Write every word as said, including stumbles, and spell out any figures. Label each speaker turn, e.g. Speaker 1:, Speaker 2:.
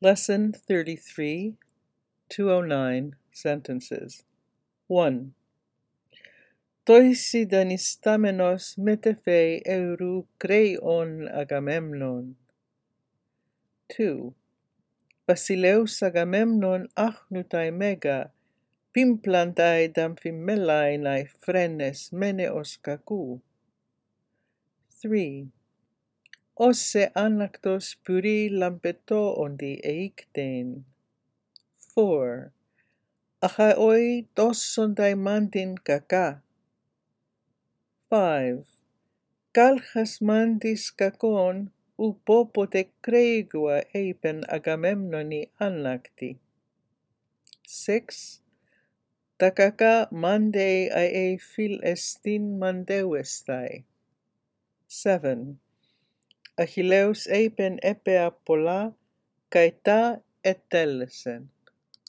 Speaker 1: Lesson thirty-three, two oh nine sentences. one. Toisi danistamenos metephe eurou kreion Agamemnon. two. Basileus Agamemnon achnutai mega, pimplantai damphimellai nai phrenes meneos kakou. three. Osse anaktos puri lampeto ondi eiktein. four. Achaoi tossondai mantin kaka. five. Kalchas mantis kakon upopote kreigua eipen Agamemnoni annakti. six. Takaka mande ae phil estin mandeuestai. seven. Achilleus eipen epea pola kai ta etellesen.